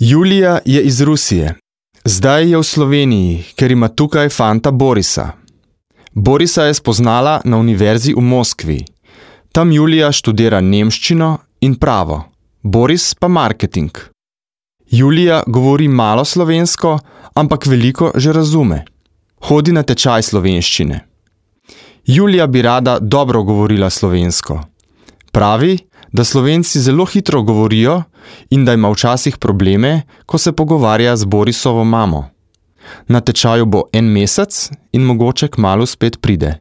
Julija je iz Rusije. Zdaj je v Sloveniji, ker ima tukaj fanta Borisa. Borisa je spoznala na univerzi v Moskvi. Tam Julija študira nemščino in pravo, Boris pa marketing. Julija govori malo slovensko, ampak veliko že razume. Hodi na tečaj slovenščine. Julija bi rada dobro govorila slovensko. Pravi, da Slovenci zelo hitro govorijo in da ima včasih probleme, ko se pogovarja z Borisovo mamo. Na tečaju bo 1 mesec in mogoče kmalu spet pride.